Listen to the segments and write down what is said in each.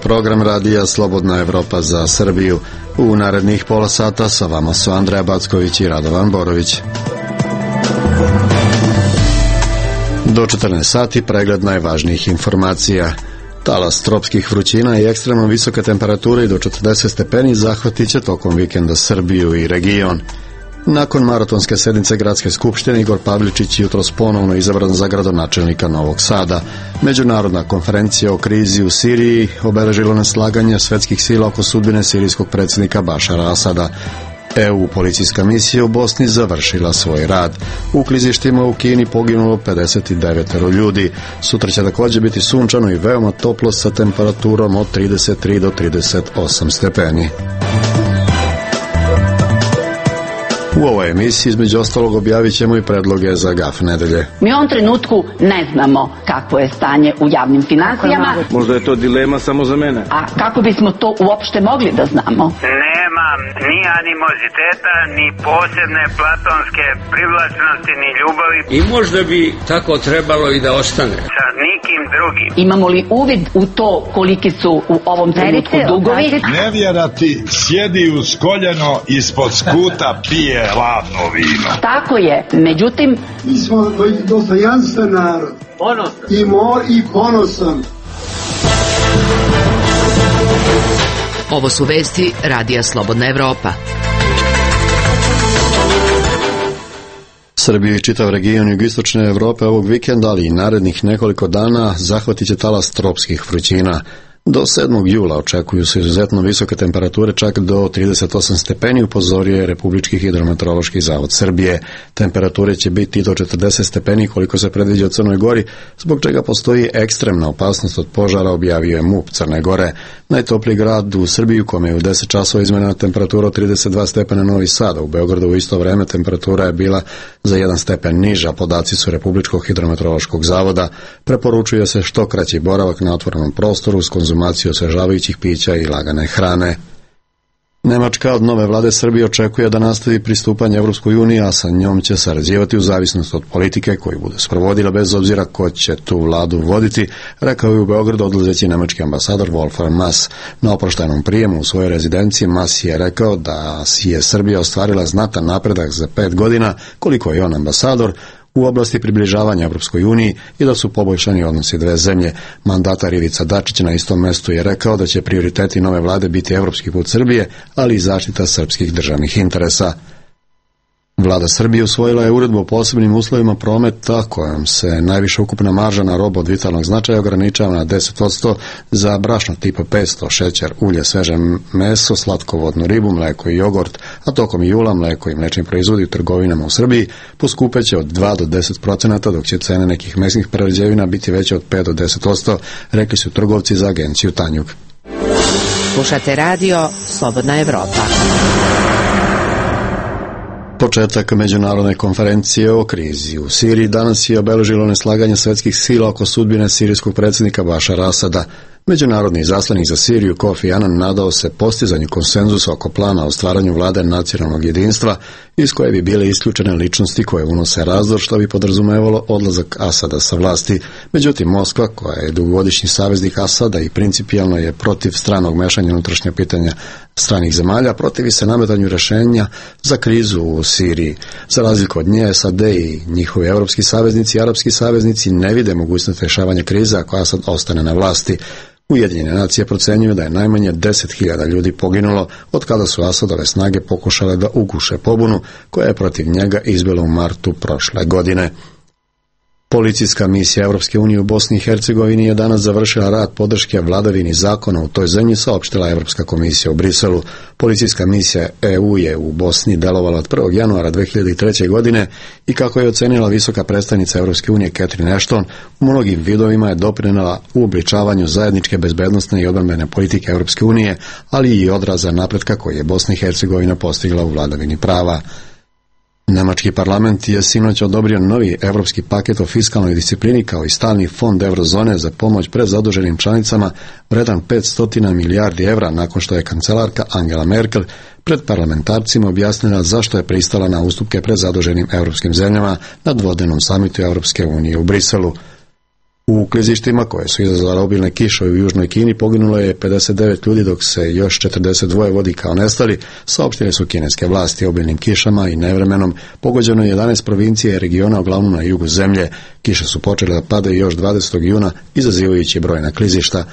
program radija Slobodna Evropa za Srbiju. U narednih pola sata sa vama su Andreja Backović i Radovan Borović. Do 14 sati pregled najvažnijih informacija. Talas tropskih vrućina i ekstremno visoke temperature i do 40 stepeni zahvatit će tokom vikenda Srbiju i region. Nakon maratonske sednice Gradske skupštine, Igor Pavličić jutros ponovno izabran za gradonačelnika Novog Sada. Međunarodna konferencija o krizi u Siriji obeležilo neslaganje svetskih sila oko sudbine sirijskog predsjednika Bašara Asada. EU policijska misija u Bosni završila svoj rad. U klizištima u Kini poginulo 59 ljudi. Sutra će također biti sunčano i veoma toplo sa temperaturom od 33 do 38 stepeni. U ovoj emisiji između ostalog objavit ćemo i predloge za GAF nedelje. Mi u ovom trenutku ne znamo kakvo je stanje u javnim financijama. Možda je to dilema samo za mene. A kako bismo to uopšte mogli da znamo? Nemam ni animoziteta, ni posebne platonske privlačnosti, ni ljubavi. I možda bi tako trebalo i da ostane. Sa nikim drugim. Imamo li uvid u to koliki su u ovom trenutku dugovi? Nevjera ti sjedi uz koljeno ispod skuta pije ladno vino. Tako je, međutim... Mi smo dostojanstven narod. I ponosan. Ovo su vesti Radija Slobodna Evropa. Srbiju i čitav region jugoistočne Evrope ovog vikenda, ali i narednih nekoliko dana zahvatit će talas tropskih vrućina. Do 7. jula očekuju se izuzetno visoke temperature, čak do 38 stepeni, upozorio je Republički hidrometeorološki zavod Srbije. Temperature će biti do 40 stepeni koliko se predviđa u Crnoj Gori, zbog čega postoji ekstremna opasnost od požara, objavio je MUP Crne Gore. Najtopliji grad u Srbiji, kome je u 10 časova izmjerena temperatura od 32 stepena, Novi Sad. U Beogradu u isto vreme temperatura je bila za 1 stepen niža, podaci su Republičkog hidrometeorološkog zavoda. Preporučuje se što kraći boravak na otvorenom prostoru s konzumaciju osvežavajućih pića i lagane hrane. Nemačka od nove vlade Srbije očekuje da nastavi pristupanje Evropskoj uniji, a sa njom će sarađivati u zavisnosti od politike koju bude sprovodila bez obzira ko će tu vladu voditi, rekao je u Beogradu odlazeći nemački ambasador Wolfgang Maass. Na oproštajnom prijemu u svojoj rezidenciji Maass je rekao da je Srbija ostvarila znatan napredak za 5 godina, koliko je on ambasador, u oblasti približavanja Evropskoj uniji i da su poboljšani odnosi dve zemlje. Mandatar Ivica Dačić na istom mestu je rekao da će prioriteti nove vlade biti evropski put Srbije, ali i zaštita srpskih državnih interesa. Vlada Srbije usvojila je uredbu o posebnim uslovima prometa kojom se najviša ukupna marža na robu od vitalnog značaja ograničava na 10% za brašno tipa 500, šećer, ulje, sveže meso, slatkovodnu ribu, mleko i jogurt, a tokom jula mleko i mlečni proizvodi u trgovinama u Srbiji poskupeće od 2 do 10%, dok će cene nekih mesnih prerađevina biti veće od 5 do 10%, rekli su trgovci za agenciju Tanjug. Slušate radio Slobodna Evropa. Početak međunarodne konferencije o krizi u Siriji danas je obeležilo neslaganje svetskih sila oko sudbine sirijskog predsjednika Bašara Asada. Međunarodni izaslanik za Siriju Kofi Annan nadao se postizanju konsenzusa oko plana o stvaranju vlade nacionalnog jedinstva iz koje bi bile isključene ličnosti koje unose razdor, što bi podrazumevalo odlazak Asada sa vlasti. Međutim, Moskva, koja je dugogodišnji saveznik Asada i principijelno je protiv stranog mešanja unutrašnja pitanja stranih zemalja, protivi se nametanju rješenja za krizu u Siriji. Za razliku od nje, SAD i njihovi evropski saveznici i arapski saveznici ne vide mogućnost rješavanja krize ako Asad ostane na vlasti. Ujedinjene nacije procenjuju da je najmanje 10.000 ljudi poginulo od kada su Asadove snage pokušale da uguše pobunu koja je protiv njega izbila u martu prošle godine. Policijska misija Europske unije u Bosni i Hercegovini je danas završila rad podrške vladavini zakona u toj zemlji, saopštila Europska komisija u Briselu. Policijska misija EU je u Bosni delovala od 1. januara 2003. godine i kako je ocenila visoka predstavnica Europske unije Catherine Ashton, u mnogim vidovima je doprinela u obličavanju zajedničke bezbednosne i obrambene politike Europske unije, ali i odraza napretka koji je Bosna i Hercegovina postigla u vladavini prava. Nemački parlament je sinoć odobrio novi evropski paket o fiskalnoj disciplini kao i stalni fond eurozone za pomoć prezaduženim članicama vredan 500 milijardi evra nakon što je kancelarka Angela Merkel pred parlamentarcima objasnila zašto je pristala na ustupke prezaduženim evropskim zemljama na dvodnevnom samitu Europske unije u Briselu. U klizištima koje su izazvale obilne kiše u južnoj Kini poginulo je 59 ljudi, dok se još 42 vodi kao nestali, saopštile su kineske vlasti. Obilnim kišama i nevremenom pogođeno je 11 provincija i regiona, uglavnom na jugu zemlje. Kiše su počele da padaju još 20. juna, izazivajući brojna klizišta.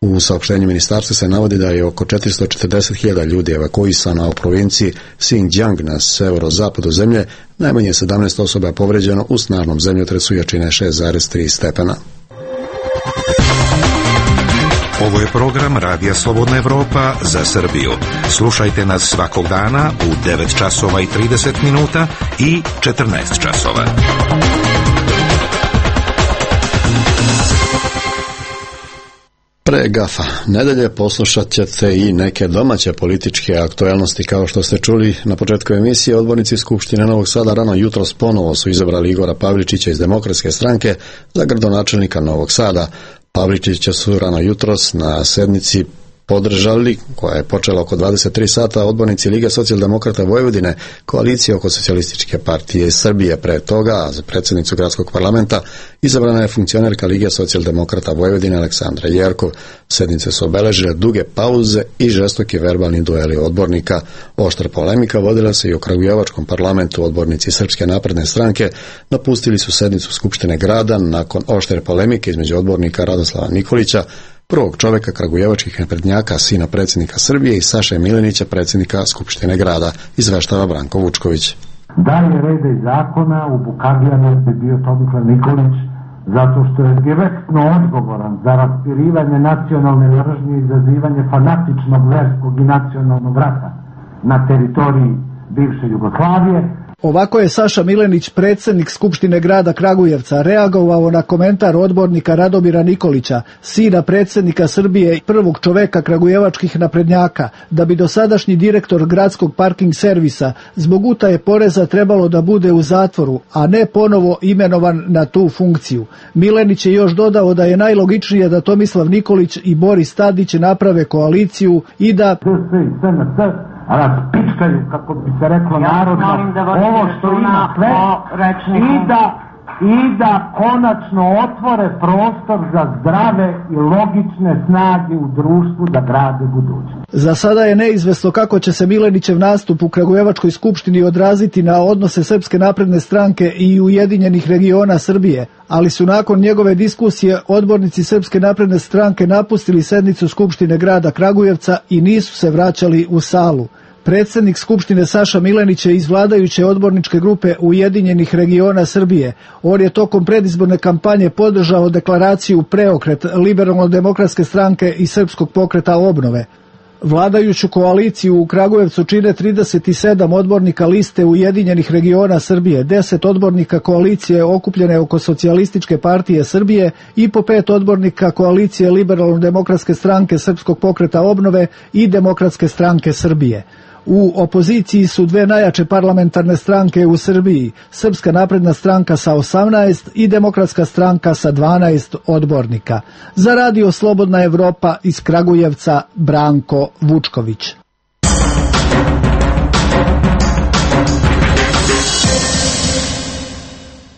U saopštenju ministarstva se navodi da je oko 440.000 ljudi evakuisano u provinciji Xinjiang na severozapadu zemlje, najmanje 17 osoba je povređeno u snažnom zemljotresu jačine 6,3 stepena. Ovo je program Radija Slobodna Evropa za Srbiju. Slušajte nas svakog dana u 9 časova i 30 minuta i 14 časova. Pre GAFA nedelje poslušat ćete i neke domaće političke aktualnosti. Kao što ste čuli na početku emisije, odbornici Skupštine Novog Sada rano jutros ponovo su izabrali Igora Pavličića iz Demokratske stranke za gradonačelnika Novog Sada. Pavličića su rano jutros na sednici podržali, koja je počela oko 23 sata, odbornici Lige socijaldemokrata Vojvodine, koalicije oko Socijalističke partije Srbije. Pre toga, za predsjednicu gradskog parlamenta, izabrana je funkcionerka Lige socijaldemokrata Vojvodine Aleksandra Jerkov. Sednice su obeležile duge pauze i žestoki verbalni dueli odbornika. Oštra polemika vodila se i u Kragujevačkom parlamentu. Odbornici Srpske napredne stranke napustili su sednicu Skupštine grada nakon oštre polemike između odbornika Radoslava Nikolića, prvog čoveka kragujevačkih naprednjaka, sina predsjednika Srbije, i Saše Milenića, predsjednika Skupštine grada, izveštava Branko Vučković. Dalje reda i zakona u Bukagljanu je bio Tomislav Nikolić, zato što je direktno odgovoran za raspirivanje nacionalne mržnje i izazivanje fanatičnog verskog i nacionalnog rata na teritoriji bivše Jugoslavije. Ovako je Saša Milenić, predsjednik Skupštine grada Kragujevca, reagovao na komentar odbornika Radomira Nikolića, sina predsjednika Srbije i prvog čoveka kragujevačkih naprednjaka, da bi dosadašnji direktor gradskog parking servisa zbog utaje poreza trebalo da bude u zatvoru, a ne ponovo imenovan na tu funkciju. Milenić je još dodao da je najlogičnije da Tomislav Nikolić i Boris Tadić naprave koaliciju i da raspičkaju, kako bi se reklo narodno, ovo što ima sve i da konačno otvore prostor za zdrave i logične snage u društvu da grade budućnost. Za sada je neizvesno kako će se Milenićev nastup u Kragujevačkoj skupštini odraziti na odnose Srpske napredne stranke i Ujedinjenih regiona Srbije, ali su nakon njegove diskusije odbornici Srpske napredne stranke napustili sednicu Skupštine grada Kragujevca i nisu se vraćali u salu. Predsjednik Skupštine Saša Milenić je iz vladajuće odborničke grupe Ujedinjenih regiona Srbije. On je tokom predizborne kampanje podržao deklaraciju Preokret Liberalno-demokratske stranke i Srpskog pokreta obnove. Vladajuću koaliciju u Kragujevcu čine 37 odbornika liste Ujedinjenih regiona Srbije, 10 odbornika koalicije okupljene oko Socijalističke partije Srbije i po 5 odbornika koalicije Liberalno-demokratske stranke Srpskog pokreta obnove i Demokratske stranke Srbije. U opoziciji su dve najjače parlamentarne stranke u Srbiji, Srpska napredna stranka sa 18 i Demokratska stranka sa 12 odbornika. Za Radio Slobodna Evropa iz Kragujevca, Branko Vučković.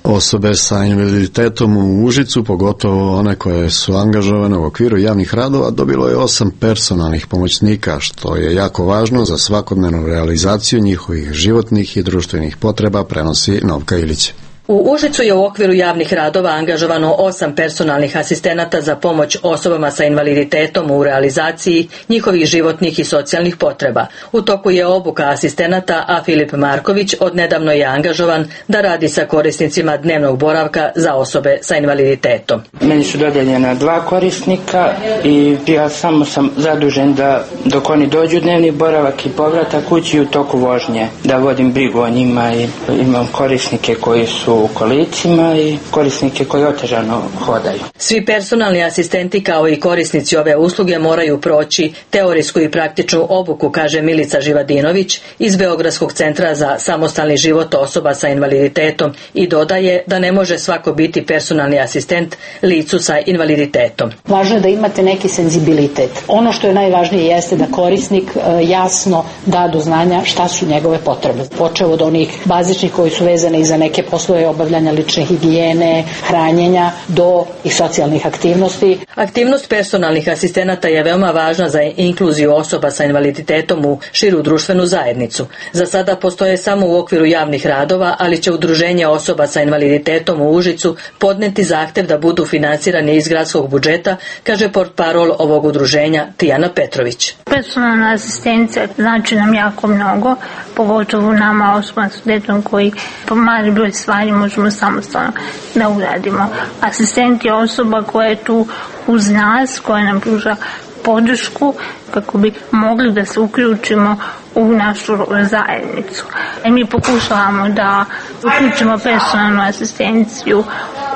Osobe sa invaliditetom u Užicu, pogotovo one koje su angažovane u okviru javnih radova, dobilo je 8 personalnih pomoćnika, što je jako važno za svakodnevnu realizaciju njihovih životnih i društvenih potreba, prenosi Novka Ilić. U Užicu je u okviru javnih radova angažovano 8 personalnih asistenata za pomoć osobama sa invaliditetom u realizaciji njihovih životnih i socijalnih potreba. U toku je obuka asistenata, a Filip Marković odnedavno je angažovan da radi sa korisnicima dnevnog boravka za osobe sa invaliditetom. Meni su dodeljena 2 korisnika i ja samo sam zadužen da dok oni dođu dnevni boravak i povratak kući u toku vožnje, da vodim brigu o njima i imam korisnike koji su u kolicima i korisnike koji otežano hodaju. Svi personalni asistenti kao i korisnici ove usluge moraju proći teorijsku i praktičnu obuku, kaže Milica Živadinović iz Beogradskog centra za samostalni život osoba sa invaliditetom i dodaje da ne može svako biti personalni asistent licu sa invaliditetom. Važno je da imate neki senzibilitet. Ono što je najvažnije jeste da korisnik jasno da do znanja šta su njegove potrebe. Počev od onih bazičnih koji su vezane i za neke poslove obavljanja lične higijene, hranjenja do i socijalnih aktivnosti. Aktivnost personalnih asistenata je veoma važna za inkluziju osoba sa invaliditetom u širu društvenu zajednicu. Za sada postoje samo u okviru javnih radova, ali će Udruženje osoba sa invaliditetom u Užicu podneti zahtev da budu finansirani iz gradskog budžeta, kaže portparol ovog udruženja Tijana Petrović. Personalna asistencija znači nam jako mnogo, pogotovo nama osobama s invaliditetom koji po mali broj stvari možemo samostalno da uradimo. Asistent je osoba koja je tu uz nas, koja nam pruža podršku kako bi mogli da se uključimo u našu zajednicu. Mi pokušavamo da uključimo personalnu asistenciju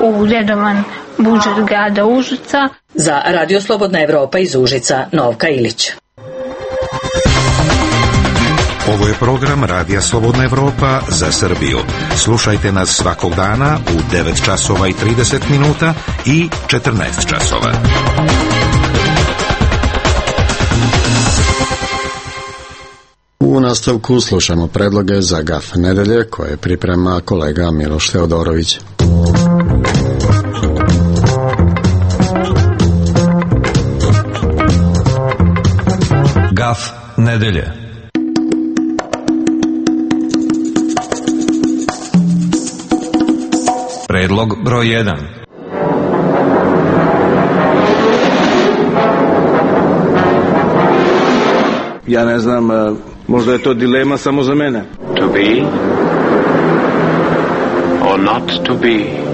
u redovan budžet grada Užica. Za Radio Slobodna Evropa iz Užica, Novka Ilić. Ovo je program Radija Slobodna Evropa za Srbiju. Slušajte nas svakog dana u 9 časova i 30 minuta i 14 časova. U nastavku slušamo predloge za GAF nedelje koje priprema kolega Miloš Teodorović. GAF nedelje. Predlog broj 1. Ja ne znam, možda je to dilema samo za mene. To be or not to be.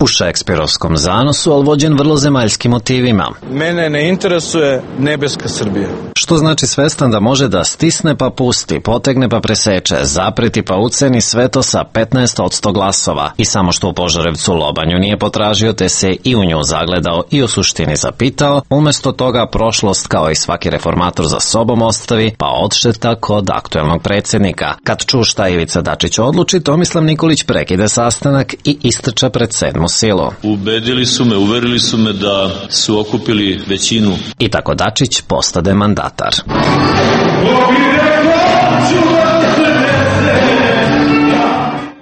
U šekspirovskom zanosu, ali vođen vrlo zemaljskim motivima. Mene ne interesuje nebeska Srbija. Što znači svestan da može da stisne pa pusti, potegne pa preseče, zapreti pa uceni, sve to sa 15% glasova. I samo što u Požarevcu lobanju nije potražio, te se i u nju zagledao i u suštini zapitao, umesto toga prošlost kao i svaki reformator za sobom ostavi, pa odšeta kod aktuelnog predsjednika. Kad ču šta Ivica Dačić odluči, Tomislav Nikolić prekide sastanak i istrča pred 7. silu. Uverili su me da su okupili većinu. I tako Dačić postade mandatar.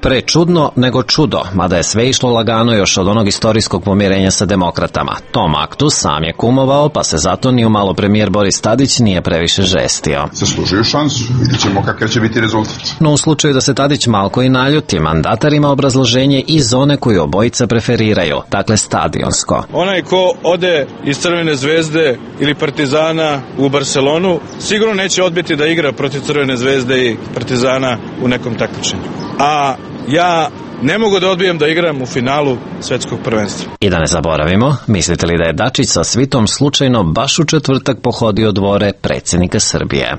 Pre čudno nego čudo, mada je sve išlo lagano još od onog istorijskog pomirenja sa demokratama. Tom aktu sam je kumovao, pa se zato ni umalo premijer Boris Tadić nije previše žestio. Zaslužuju šansu, vidjet ćemo kakav će biti rezultat. No u slučaju da se Tadić malko i naljuti, mandatar ima obrazloženje i zone koju obojica preferiraju, dakle stadionsko. Onaj ko ode iz Crvene zvezde ili Partizana u Barcelonu, sigurno neće odbiti da igra protiv Crvene zvezde i Partizana u nekom takmičenju. A ja ne mogu da odbijem da igram u finalu svetskog prvenstva. I da ne zaboravimo, mislite li da je Dačić sa svitom slučajno baš u četvrtak pohodio dvore predsjednika Srbije?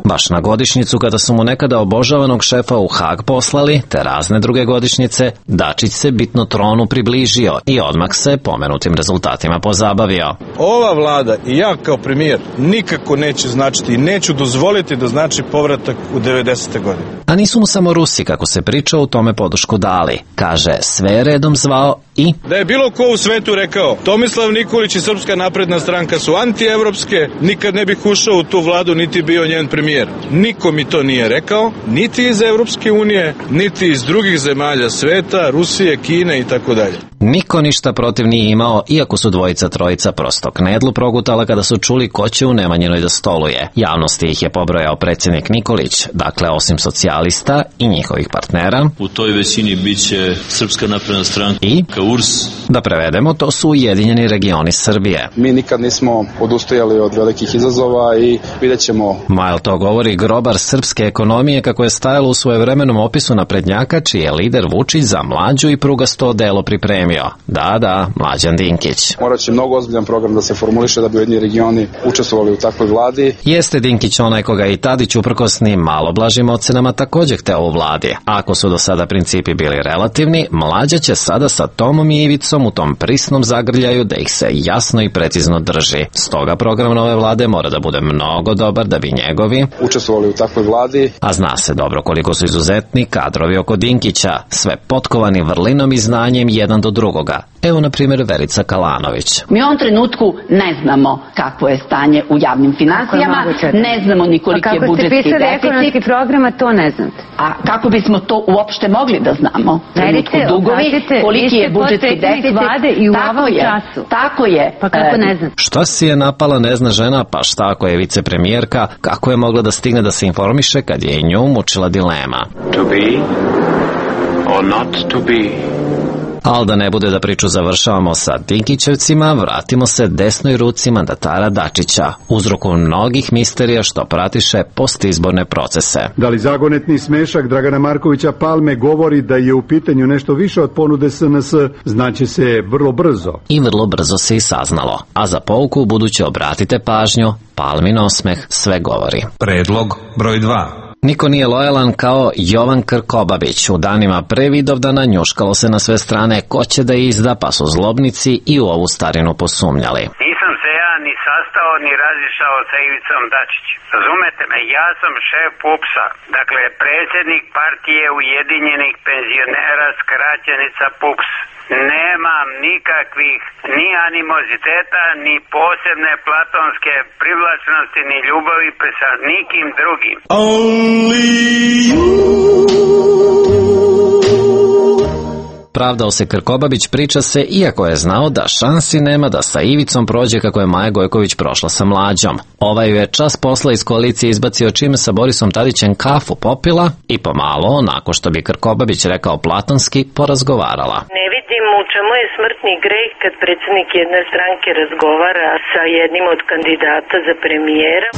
Baš na godišnjicu kada su mu nekada obožavanog šefa u Hag poslali, te razne druge godišnjice, Dačić se bitno tronu približio i odmah se pomenutim rezultatima pozabavio. Ova vlada i ja kao premijer nikako neće značiti i neću dozvoliti da znači povratak u 90. godine. A nisu mu samo Rusi, kako se priča, u tome podršku dali. Kaže, sve je redom zvao i... Da je bilo ko u svetu rekao, Tomislav Nikolić i Srpska napredna stranka su antievropske, nikad ne bih ušao u tu vladu niti bio njen premijer. Niko mi to nije rekao, niti iz Evropske unije, niti iz drugih zemalja sveta, Rusije, Kine i tako dalje. Niko ništa protiv nije imao, iako su dvojica trojica prosto knedlu progutala kada su čuli ko će u Nemanjinoj da stoluje. Javnosti ih je pobrojao predsjednik Nikolić, dakle osim socijalista i njihovih partnera. U toj većini bit će Srpska napredna stranka i URS. Da prevedemo, to su Ujedinjeni regioni Srbije. Mi nikad nismo odustajali od velikih izazova i vidjet ćemo. Majl to govori grobar srpske ekonomije, kako je stajalo u svojevremenom opisu naprednjaka, čiji je lider Vučić za mlađu i prugasto delo pripremio. Da, Mlađan Dinkić. Morat će mnogo ozbiljan program da se formuliše da bi Ujedinjeni regioni učestvovali u takvoj vladi. Jeste Dinkić onaj koga i Tadić uprkosnim malo blažim ocenama također hteo u vladi. Ako su do sada principi bili relativni, Mlađa će sada sa Tomom i Ivicom u tom prisnom zagrljaju da ih se jasno i precizno drži. Stoga program nove vlade mora da bude mnogo dobar da bi njegovi učestvovali u takvoj vladi. A zna se dobro koliko su izuzetni kadrovi oko Dinkića, sve potkovani vrlinom i znanjem jedan do drugoga. Evo na primjer Verica Kalanović. Mi u ovom trenutku ne znamo kakvo je stanje u javnim finansijama, ne znamo ni koliki je budžetski deficit. Kako ste pisali ekonomski program, a to ne znate? A kako bismo to uopšte mogli da znamo? Trenutku dugovi, koliki je budžetski deficit, tako je. Pa kako ne znate? Šta si je napala ne zna žena, pa šta ako je vicepremijerka, kako je mogla da stigne da se informiše kad je i nju mučila dilema? To be or not to be. Ali da ne bude da priču završavamo sa Dinkićevcima, vratimo se desnoj ruci mandatara Dačića, uzroku mnogih misterija što pratiše postizborne procese. Da li zagonetni smešak Dragana Markovića Palme govori da je u pitanju nešto više od ponude SNS, znaće se vrlo brzo. I vrlo brzo se i saznalo. A za pouku buduće obratite pažnju, Palmin osmeh sve govori. Predlog broj 2. Niko nije lojalan kao Jovan Krkobabić. U danima pre Vidovdana njuškalo se na sve strane ko će da izda, pa su zlobnici i u ovu starinu posumnjali. Nisam se ja ni sastao ni razišao sa Ivicom Dačićem. Razumete me, ja sam šef PUPS-a, dakle predsjednik partije Ujedinjenih penzionera, skraćenica PUPS. Nemam nikakvih ni animoziteta, ni posebne platonske privlačnosti, ni ljubavi sa nikim drugim. Pravdao se Krkobabić, priča se, iako je znao da šansi nema da sa Ivicom prođe kako je Maja Gojković prošla sa Mlađom. Ovaj ju je čas posla iz koalicije izbacio čime sa Borisom Tadićem kafu popila i pomalo, onako što bi Krkobabić rekao platonski, porazgovarala. Ne vidim u čemu je smrtni greh kad predsjednik jedne stranke razgovara sa jednim od kandidata za premijera.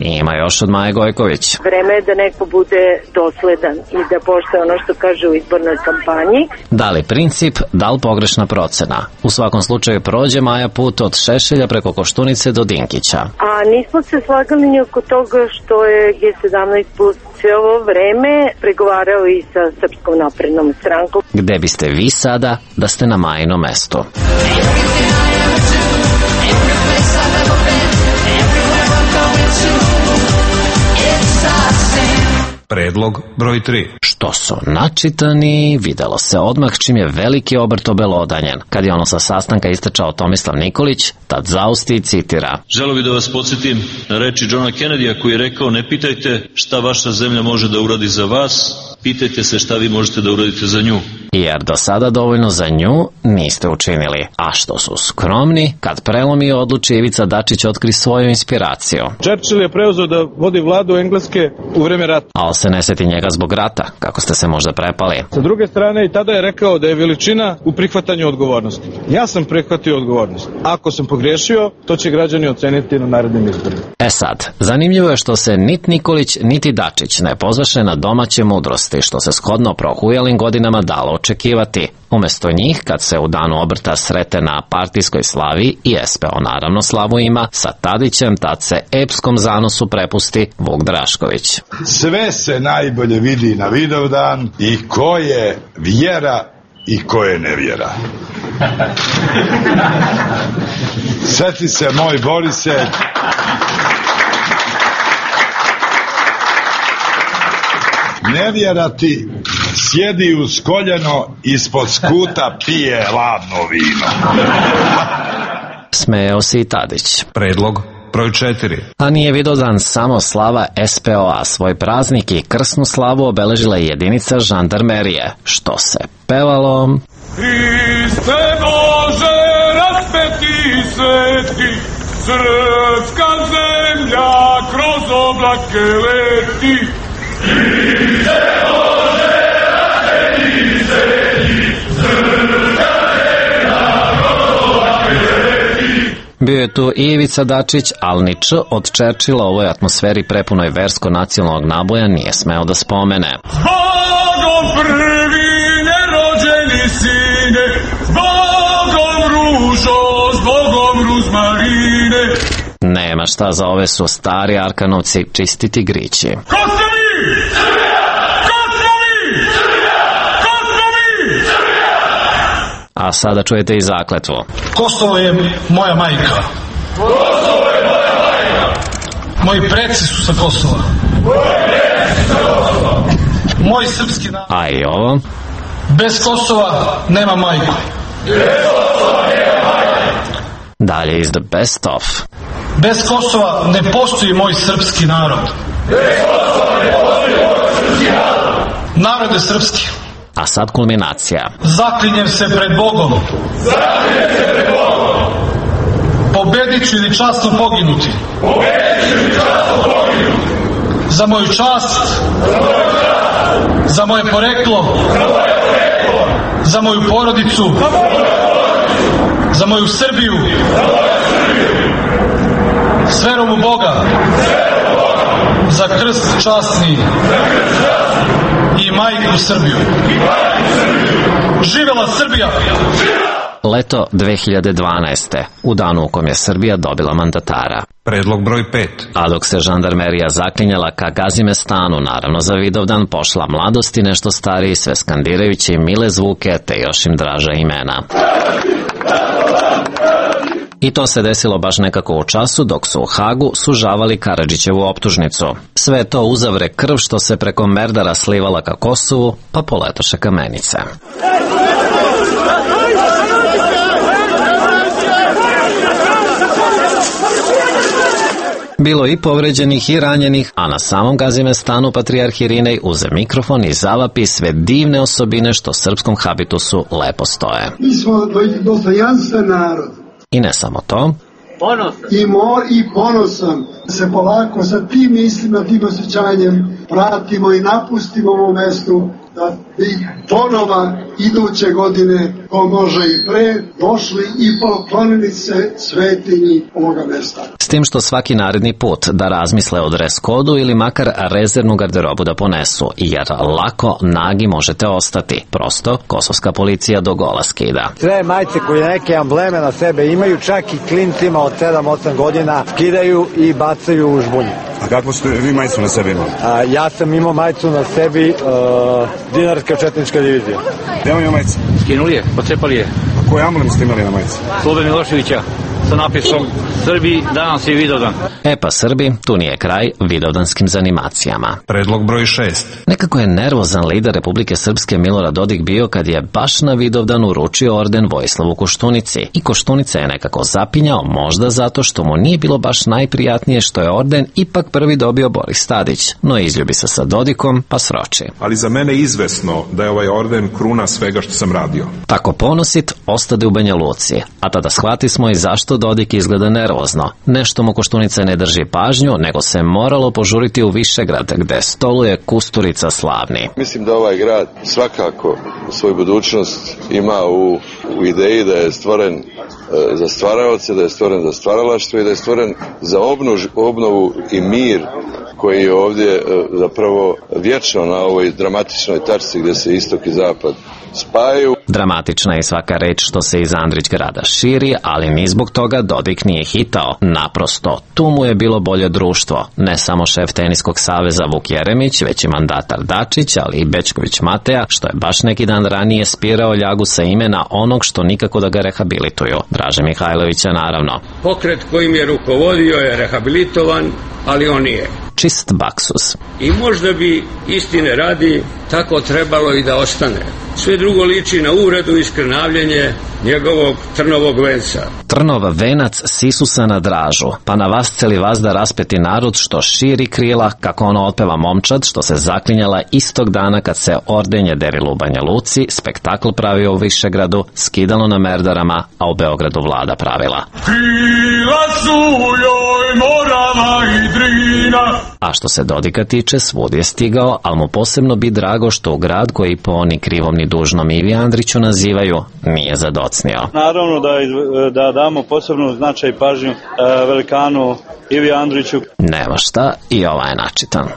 Ima još od Maje Gojković. Vreme je da neko bude dosledan i da poštuje ono što kaže u izbornoj kampanji. Da li princip, da li pogrešna procena? U svakom slučaju prođe Maja put od Šešelja preko Koštunice do Dinkića. A nismo se slagali ni oko toga što je G17 plus sve ovo vreme pregovarao i sa Srpskom naprednom strankom. Gde biste vi sada da ste na Majinom mestu? Predlog broj 3. Što su načitani, videlo se odmah čim je veliki obrt obelodanjen. Kad je ono sa sastanka istračao Tomislav Nikolić, tad zausti i citira. Želeo bih da vas podsjetim na reči Johna Kennedya koji je rekao: ne pitajte šta vaša zemlja može da uradi za vas, pitajte se šta vi možete da uradite za nju. Jer do sada dovoljno za nju niste učinili. A što su skromni, kad prelomi odluči Ivica Dačić otkri svoju inspiraciju. Churchill je preuzeo da vodi vladu Engleske u vreme rata. Ali se ne seti njega zbog rata, kako ste se možda prepali. Sa druge strane, i tada je rekao da je veličina u prihvatanju odgovornosti. Ja sam prihvatio odgovornost. Ako sam pogriješio, to će građani oceniti na narednim izborima. E sad, zanimljivo je što se niti Nikolić, niti Dačić ne pozvaše na domaće mudrosti, što se shodno prohujalim godinama dalo očekivati. Umesto njih, kad se u danu obrta srete na partijskoj slavi i SPO naravno slavu ima, sa Tadićem tad se epskom zanosu prepusti Vuk Drašković. Sve se najbolje vidi na Vidovdan i ko je vjera i ko je nevjera. Sjeti se, moj Borise, nevjera ti sjedi uz koljeno, ispod skuta pije ladno vino. Smejao se i Tadić. Predlog broj 4. A nije Vidovdan samo slava SPO-a, svoj praznik i krsnu slavu obeležila je jedinica žandarmerije, što se pevalo... Hriste Bože, raspeti sveti, srpska zemlja kroz oblake leti. Hriste Bože, raspeti sveti, srpska zemlja kroz oblake leti. Bio je tu Ivica Dačić, ali ni Č od Churchilla u ovoj atmosferi prepunoj versko-nacionalnog naboja nije smeo da spomene. Zbogom prvi nerođeni sine, zbogom ružo, zbogom ruzmarine. Nema šta, za ove su stari Arkanovci čisti tigrići. Ko ste mi? Ko smo mi? Ko smo mi? A sada čujete i zakletvu. Kosovo je moja majka. Kosovo je moja majka. Moji preci su sa Kosova. Moji preci su sa Kosova. Moj srpski narod. A i ovo? Bez Kosova nema majku. Dalje iz The Best Of. Bez Kosova ne postoji moj srpski narod. Narod je srpski. A sad kulminacija. Zaklinjem se pred Bogom. Pobedit ću ili časno poginuti. Za moju čast. Za moje poreklo. Za moju porodicu. Za moju Srbiju. S verom u Boga. Za krst časni. I majku Srbiju. Živela Srbija! Leto 2012. u danu u kom je Srbija dobila mandatara. Predlog broj 5. A dok se žandarmerija zaklinjala ka Gazimestanu, naravno za Vidovdan pošla mladosti nešto stariji, sve skandirajući mile zvuke te još im draža imena. I to se desilo baš nekako u času dok su u Hagu sužavali Karadžićevu optužnicu. Sve to uzavre krv što se preko Merdara slivala ka Kosovu, pa poletoše kamenice. Bilo i povređenih i ranjenih, a na samom Gazimestanu patrijarh Irinej uze mikrofon i zavapi sve divne osobine što srpskom habitusu lepo stoje. Mi smo dostojanstven narod. I ne samo to. I ponosan se polako sa tim mislima, tim osjećanjem vratimo i napustimo ovo mesto da bi ponova iduće godine, ko može i pre, došli i poklonili se svetinji ovoga mesta. S tim što svaki naredni put da razmisle o dres kodu ili makar rezervnu garderobu da ponesu, jer lako nagi možete ostati. Prosto, kosovska policija do gola skida. Sve majice koje neke ambleme na sebe imaju, čak i klincima od 7-8 godina, skidaju i bacaju u žbunju. A kako ste vi majicu na sebi imali? Ja sam imao majicu na sebi, Dinarska četnička divizija. Gde vam je majica? Skinuli je, pocepali je. A koji amblem ste imali na majici? Slobe Miloševića sa napisom Srbi, danas je Vidovdan. E pa Srbi, tu nije kraj vidovdanskim zanimacijama. Predlog broj 6. Nekako je nervozan lider Republike Srpske Milorad Dodik bio kad je baš na Vidovdan uručio orden Vojislavu Koštunici. I Koštunica je nekako zapinjao, možda zato što mu nije bilo baš najprijatnije što je orden ipak prvi dobio Boris Tadić. No izljubi se sa Dodikom, pa sroči. Ali za mene je izvesno da je ovaj orden kruna svega što sam radio. Tako ponosit ostade u Banja Luci, a tada shvati smo i zašto Dodik izgleda nervozno. Nešto mu Koštunica ne drži pažnju, nego se moralo požuriti u Višegrad, gde stoluje Kusturica slavni. Mislim da ovaj grad svakako svoju budućnost ima u ideji da je stvoren za stvaraoce, da je stvoren za stvaralaštvo i da je stvoren za obnovu i mir koji je ovdje zapravo vječno na ovoj dramatičnoj tačci gdje se istok i zapad spajaju. Dramatična je svaka reč što se iz Andrićgrada širi, ali ni zbog toga Dodik nije hitao. Naprosto, tu mu je bilo bolje društvo. Ne samo šef Teniskog saveza Vuk Jeremić, već i mandatar Dačić, ali i Bećković Mateja, što je baš neki dan ranije spirao ljagu sa imena onog što nikako da ga rehabilituju. Draže Mihajlovića, naravno. Pokret kojim je rukovodio je rehabilitovan, ali on nije. Čist baksus. I možda bi, istine radi, tako trebalo i da ostane. Sve drugo liči na uvredu i skrnavljenje njegovog trnovog venca. Trnov venac sisusa na Dražu, pa na vas celi vazda raspeti narod što širi krila, kako ono otpeva momčad što se zaklinjala istog dana kad se ordenje derilo u Banja Luci, spektakl pravio u Višegradu, skidalo na Merdarama, a u Beogradu vlada pravila. Krila su joj Morava i Drina. A što se Dodika tiče, svud je stigao, ali mu posebno bi drago što u grad koji po oni krivom ni dužnom Ivi Andriću nazivaju, nije zadocnio. Naravno da damo posebnu značaj i pažnju velikanu Ivi Andriću. Nema šta, i ovaj je načitan.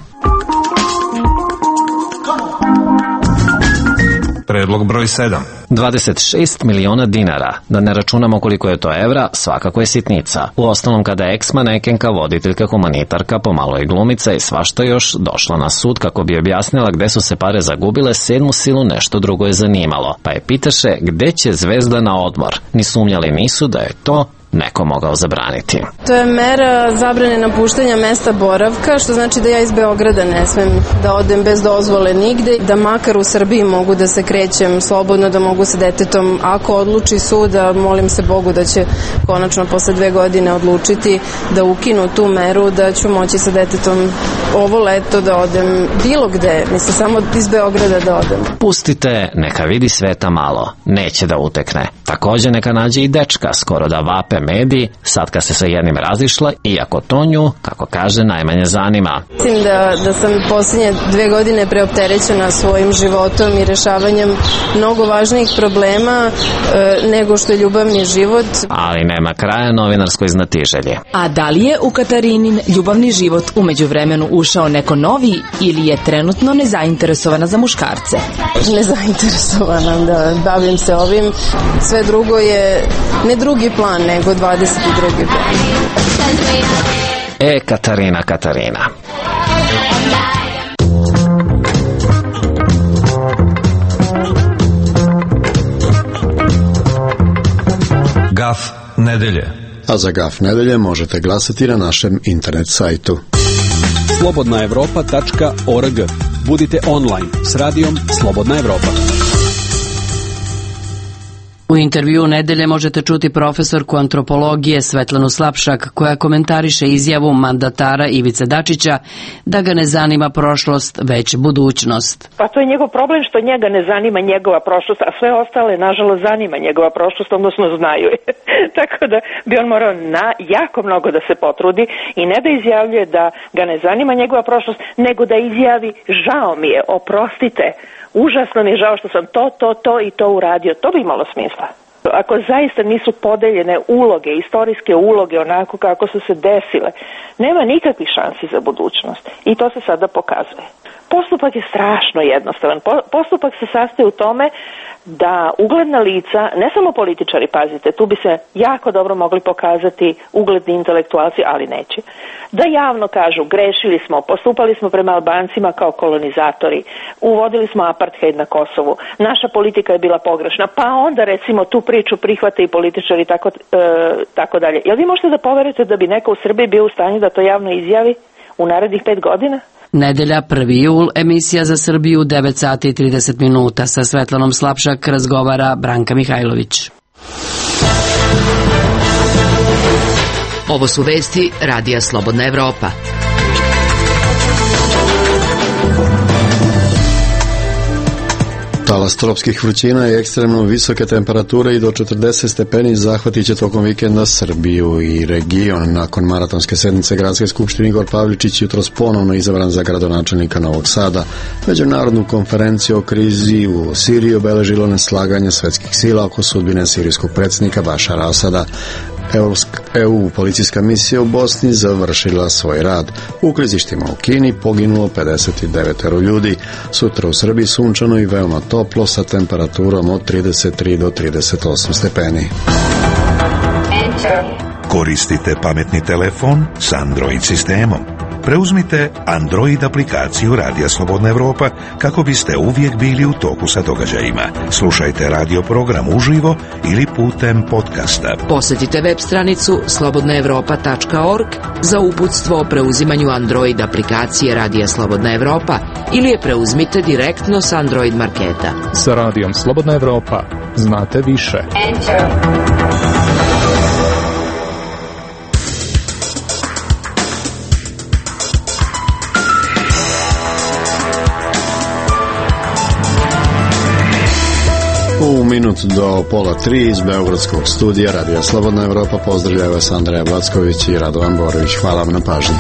Predlog broj 7. 26 miliona dinara, da ne računamo koliko je to evra, svakako je sitnica. U ostalom kada je ex-manekenka, voditeljka, humanitarka, pomalo i glumica i svašta još došla na sud kako bi objasnila gde su se pare zagubile, sedmu silu nešto drugo je zanimalo. Pa je pitaše gde će zvezda na odmor. Ni sumnjali nisu da je to neko mogao zabraniti. To je mera zabrane napuštanja mesta boravka, što znači da ja iz Beograda ne smem da odem bez dozvole nigde, da makar u Srbiji mogu da se krećem slobodno, da mogu sa detetom, ako odluči sud, a molim se Bogu da će konačno posle 2 godine odlučiti da ukinu tu meru, da ću moći sa detetom ovo leto da odem bilo gde, mislim samo iz Beograda da odem. Pustite, neka vidi sveta malo, neće da utekne. Takođe neka nađe i dečka, skoro da vape mediji, sad kad se sa jednim razišla, iako to nju, kako kaže, najmanje zanima. Mislim da sam posljednje 2 godine preopterećena svojim životom i rešavanjem mnogo važnijih problema nego što je ljubavni život. Ali nema kraja novinarskoj znatiželji. A da li je u Katarinin ljubavni život umeđu vremenu ušao neko novi ili je trenutno nezainteresovana za muškarce? Nezainteresovana, da, bavim se ovim. Sve drugo je ne drugi plan, nego 22. plan. Katarina. Gaf nedelje. A za Gaf nedelje možete glasati na našem internet sajtu. slobodnaevropa.org. Budite online s radijom Slobodna Evropa. U intervju nedelje možete čuti profesorku antropologije Svetlanu Slapšak, koja komentariše izjavu mandatara Ivice Dačića da ga ne zanima prošlost, već budućnost. Pa to je njegov problem što njega ne zanima njegova prošlost, a sve ostale, nažalost, zanima njegova prošlost, odnosno znaju. Tako da bi on morao jako mnogo da se potrudi i ne da izjavljuje da ga ne zanima njegova prošlost, nego da izjavi žao mi je, oprostite, užasno mi je žao što sam to i to uradio. To bi imalo smisla. Ako zaista nisu podeljene uloge, istorijske uloge onako kako su se desile, nema nikakvih šansi za budućnost. I to se sada pokazuje. Postupak je strašno jednostavan. Postupak se sastoji u tome da ugledna lica, ne samo političari, pazite, tu bi se jako dobro mogli pokazati ugledni intelektualci, ali neće, da javno kažu grešili smo, postupali smo prema Albancima kao kolonizatori, uvodili smo apartheid na Kosovu, naša politika je bila pogrešna, pa onda recimo tu priču prihvate i političari tako dalje. Jel vi možete da poverite da bi neko u Srbiji bio u stanju da to javno izjavi u narednih 5 godina? Nedelja, 1. jul, emisija za Srbiju, 9 sati i 30 minuta. Sa Svetlanom Slapšak razgovara Branka Mihajlović. Ovo su vesti Radija Slobodna Evropa. Talas tropskih vrućina i ekstremno visoke temperature i do 40 stepeni zahvatit će tokom vikenda Srbiju i region. Nakon maratonske sednice Gradske skupštine Igor Pavličić jutros ponovno izabran za gradonačelnika Novog Sada. Međunarodnu konferenciju o krizi u Siriji obeležilo neslaganje svetskih sila oko sudbine sirijskog predsjednika Bašara Asada. EU policijska misija u Bosni završila svoj rad. U klizištima u Kini poginulo 59 ljudi. Sutra u Srbiji sunčano i veoma toplo sa temperaturom od 33 do 38 stepeni. Koristite pametni telefon s Android sistemom. Preuzmite Android aplikaciju Radija Slobodna Evropa kako biste uvijek bili u toku sa događajima. Slušajte radio program uživo ili putem podcasta. Posjetite web stranicu slobodnaevropa.org za uputstvo o preuzimanju Android aplikacije Radija Slobodna Evropa ili je preuzmite direktno s Android marketa. Sa Radijom Slobodna Evropa znate više. U minut do 2:30 iz Beogradskog studija Radija Slobodna Evropa pozdravljaju vas Andreja Backović i Radovan Borović. Hvala vam na pažnji.